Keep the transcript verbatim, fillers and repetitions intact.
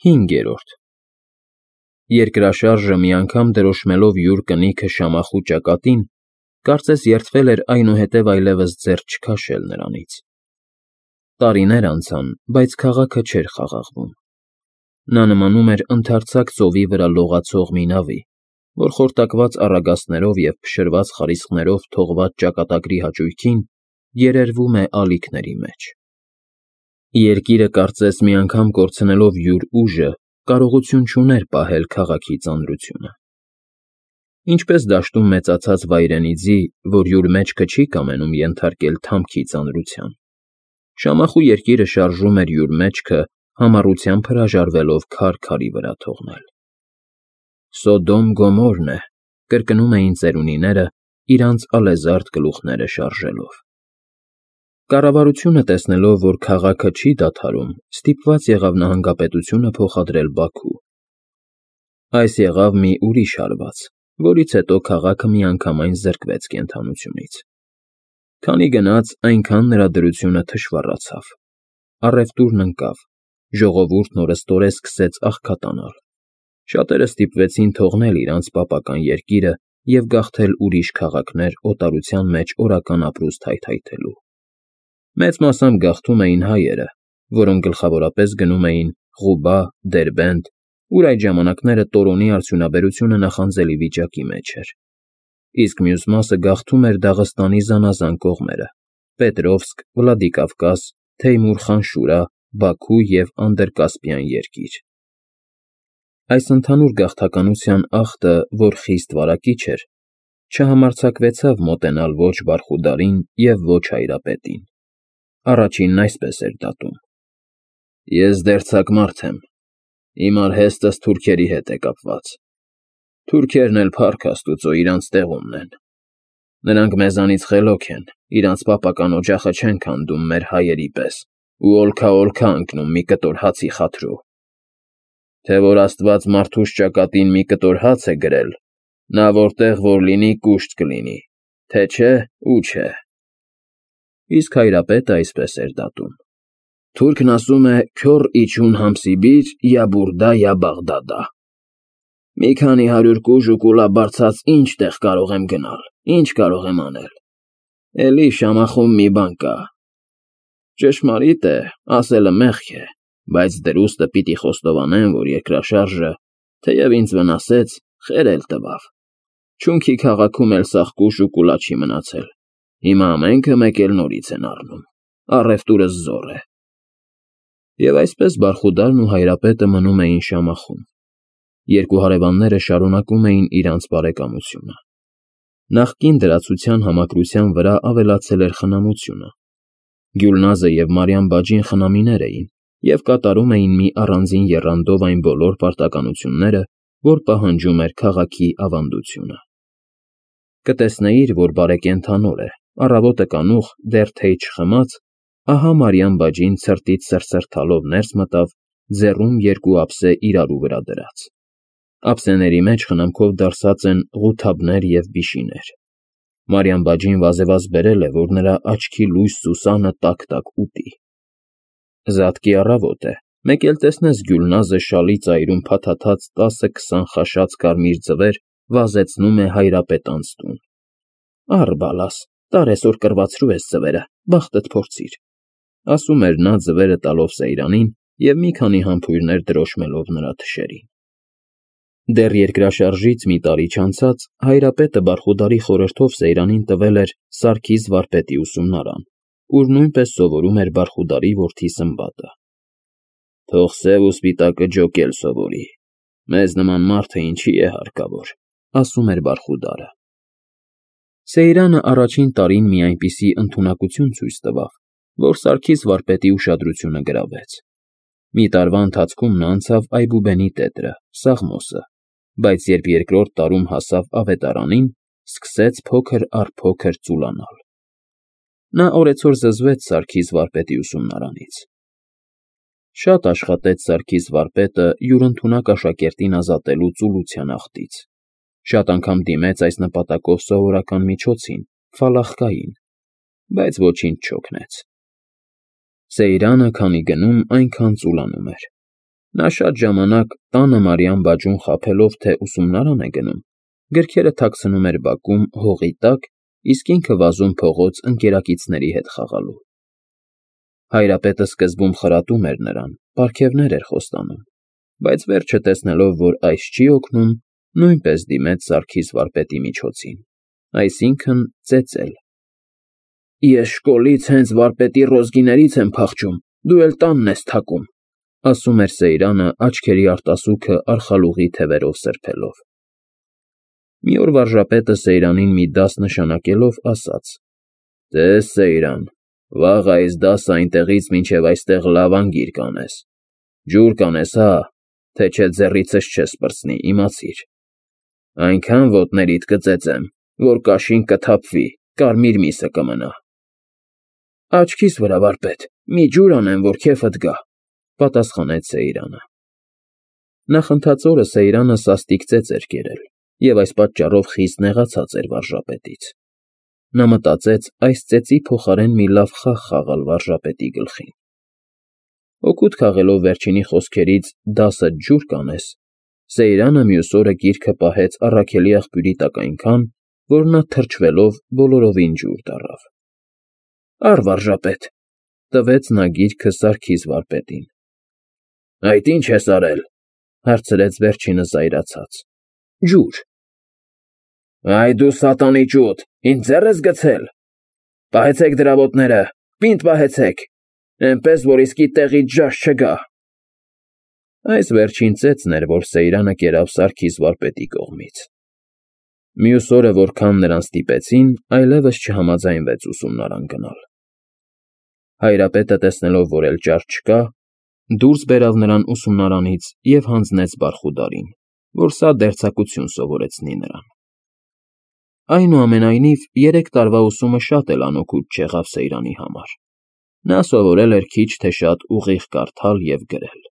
Հինգերորդ Երկրաշարժը մի անգամ դրոշմելով յուր կնիքը Շամախու ճակատին, կարծես երդվել էր այնուհետև այլևս ձեռ չքաշել նրանից։ Տարիներ անցան, բայց քաղաքը չէր խաղաղվում։ Նա նմանում էր ընդարձակ ծովի վրա լողացող մի նավի, որ խորտակված առագաստներով և փշրված խարիսկներով թողված ճակատագրի հաճույքին երերվում է ալիքների մեջ։ Երկիրը կարծես մի անգամ կորցնելով յուր ուժը, կարողություն չուներ պահել քաղաքի ծանրությունը։ Ինչպես դաշտում մեծացած վայրենի ձի, որ յուր մեջքը չի կամենում ենթարկել թամքի ծանրության, Շամախու երկիրը շարժում էր յուր մեջքը համառությամբ հրաժարվելով քար քարի վրա թողնել։ Սոդոմ Գոմորն է, կրկնում էին ծերունիները, իրանց ալեզարդ գլուխները շարժելով։ Կառավարությունը տեսնելով, որ քաղաքը չի դադարում, ստիպված եղավ նահանգապետությունը փոխադրել Բաքու։ Այս եղավ մի ուրիշ հարված, որից հետո քաղաքը միանգամայն զրկվեց կենդանությունից։ Քանի գնաց, այնքան նրա դրությունը թշվառացավ, առևտուրն ընկավ, ժողովուրդն օրըստօրե սկսեց աղքատանալ։ Շատերը ստիպվեցին թողնել իրանց պապական երկիրը և գաղթել ուրիշ քաղաքներ օտարության մեջ օրական ապրուստ հայթայթելու։ Մեծ մասամբ գաղթում էին հայերը, որոնք գլխավորապես գնում էին Ղուբա, Դերբենդ, ուր այդ ժամանակները Տորոնի արդյունաբերությունը նախանձելի վիճակի մեջ էր, իսկ մյուս մասը գաղթում էր Դաղստանի զանազան կողմերը՝ Պետրովսկ, Վլադիկավկազ, Թեյմուր֊Խան Շուրա, Բաքու և Անդրկասպյան երկիր։ Այս ընդհանուր գաղթականության ախտը, որ խիստ վարակիչ էր, չհամարձակվեցավ մոտենալ ոչ Բարխուդարին և ոչ Հայրապետին։ Առաջինն այսպես էր դատում. Ես դերձակ մարդ եմ, իմ արհեստս թուրքերի հետ է կապված։ Թուրքերն էլ փառք Աստուծո իրանց տեղումն են։ Նրանք մեզանից խելոք են, իրանց պապական օջախը չեն քանդում մեր հայերի պես ու օլքա֊օլքա ընկնում մի կտոր հացի խաթրու։ Թե որ Աստված մարդուս ճակատին մի կտոր հաց է գրել, նա որտեղ որ լինի կուշտ կլինի, թե չէ՝ ու չէ։ Իսկ Հայրապետը այսպես էր դատում. Թուրքն ասում է «Քյոռ իջուն համսիբիր, յա բուրդա, յա Բաղդադա»։ Մի քանի հարյուր կուժ ու կուլաբարձած ինչ տեղ կարող եմ գնալ, ինչ կարող եմ անել։ Էլի Շամախում մի բան կա։ Ճշմարիտ է, ասելը մեղք է, բայց դրուստը պիտի խոստովանեմ, որ երկրաշարժը, թեև ինձ վնասեց, խեր էլ տվավ։ Չունքի քաղաքում էլ սաղկուշ ու կուլա չի մնացել։ Հիմա ամենքը մեկ էլ նորից են առնում։ Առևտուրս զոռ է։ Եվ այսպես Բարխուդարն ու Հայրապետը մնում էին Շամախում։ Երկու հարևանները շարունակում էին իրանց բարեկամությունը։ Նախկին դրացության համակրության վրա ավելացել էր խնամությունը։ Գյուլնազը և Մարիամ բաջին խնամիներ էին և կատարում էին մի առանձին եռանդով այն բոլոր պարտականությունները, որ պահանջում էր քաղաքի ավանդությունը։ Կտեսնեիր, որ բարեկենդանոր է, առավոտը կանուխ, դեռ թեյ չխմած, ահա Մարիամ բաջին ցրտից սրսրթալով ներս մտավ, ձեռում երկու ափսե իրարու վրա դրած։ Ափսեների մեջ խնամքով դարսած են ղութաբներ և բիշիներ։ Մարիամ բաջին վազևազ բերել է, որ նրա աչքի լույս Սուսանը տակ֊տակ ուտի։ Զատկի առավոտ է, մեկ էլ տեսնես Գյուլնազը շալի ծայրում փաթաթած տասը֊քսան խաշած կարմիր ձվեր վազեցնում է Հայրապետանց տուն։ Առ բալաս, տար էսօր կռվածրու ես ձվերը, բախտդ փորձիր, ասում էր նա ձվերը տալով Սեյրանին և մի քանի համբույրներ դրոշմելով նրա թշերին։ Դեռ երկրաշարժից մի տարի չանցած Հայրապետը Բարխուդարի խորհրդով Սեյրանին տվել էր Սարգիս վարպետի ուսումնարան, ուր նույնպես սովորում էր Բարխուդարի որդի Սմբատը։ Թող սև ու սպիտակը ջոկել սովորի, մեզ նման մարդը ինչի է հարկավոր, ասում էր Բարխուդարը։ Սեյրանը առաջին տարին մի այնպիսի ընդունակություն ցույց տվավ, որ Սարգիս վարպետի ուշադրությունը գրավեց։ Մի տարվա ընթացքում նա անցավ Այբուբենի տետրը, Սաղմոսը, բայց երբ երկրորդ տարում հասավ ավետարանին, սկսեց փոքր առ փոքր ծուլանալ։ Նա օրեցօր զզվեց Սարգիս վարպետի ուսումնարանից։ Շատ աշխատեց Սարգիս վարպետը յուր ընդունակ աշակերտին ազատելու ծուլության ախտից։ Շատ անգամ դիմեց այս նպատակով սովորական միջոցին՝ ֆալախկային, բայց ոչինչ չօգնեց։ Սեյրանը քանի գնում, այնքան ծուլանում էր։ Նա շատ ժամանակ տանը Մարիամ բաջուն խաբելով, թե ուսումնարան է գնում, գրքերը թաքցնում էր բակում հողի տակ, իսկ ինքը վազում փողոց ընկերակիցների հետ խաղալու։ Հայրապետը սկզբում խրատում էր նրան, պարգևներ էր խոստանում, բայց վերջը տեսնելով, որ այս չի օգնում, նույնպես դիմեց Սարգիս վարպետի միջոցին, այսինքն՝ ծեծել։ Ես շկոլից հենց վարպետի ռոզգիներից եմ փախչում, դու էլ տանն ես թակում, ասում էր Սեյրանը աչքերի արտասուքը արխալուղի թևերով սրբելով։ Մի օր վարժապետը Սեյրանին մի դաս նշանակելով ասաց. «Տես, Սեյրան, վաղ այս դասը այնտեղից մինչև այստեղ լավ անգիր կանես, ջուր կանես, հա, թե չէ ձեռիցս չես պրծնի, իմացիր, այնքան ոտներիդ կծեծեմ, որ կաշին կթափվի, կարմիր միսը կմնա»։ Աչքիս վրա, վարպետ, մի ջուր անեմ, որ քեֆդ գա, պատասխանեց Սեյրանը։ Նախընթաց օրը Սեյրանը սաստիկ ծեծ էր կերել և այս պատճառով խիստ նեղացած էր վարժապետից։ Նա մտածեց այս ծեծի փոխարեն մի լավ խաղ խաղալ վարժապետի գլխին։ Օգուտ քաղելով վերջինի խոսքերից «դասդ ջուր կանես», Սեյրանը մյուս օրը գիրքը պահեց առաքելի աղբյուրի տակ այնքան, որ նա թրջվելով բոլորովին ջուր դառավ։ Առ, վարժապետ, տվեց նա գիրքը Սարգիս վարպետին։ Այդ ի՞նչ ես արել, հարցրեց վերջինը զայրացած։ Ջուր։ Այ դու սատանի ճուտ, ինձ ձեռ ես գցել։ Պահեցեք դրա ոտները, պինդ պահեցեք, այնպես, որ իսկի տեղից ժաժ չգա։ Այս վերջին ծեծն էր, որ Սեյրանը կերավ Սարգիս վարպետի կողմից։ Մյուս օրը, որքան նրան ստիպեցին, այլևս չհամաձայնվեց ուսումնարան գնալ։ Հայրապետը տեսնելով, որ էլ ճար չկա, դուրս բերավ նրան ուսումնարանից և հանձնեց Բարխուդարին, որ սա դերձակություն սովորեցնի նրան։ Այնուամենայնիվ, երեք տարվա ուսումը շատ էլ անօգուտ չեղավ Սեյրանի համար։ Նա սովորել էր քիչ թե շատ ուղիղ կարդալ և գրել։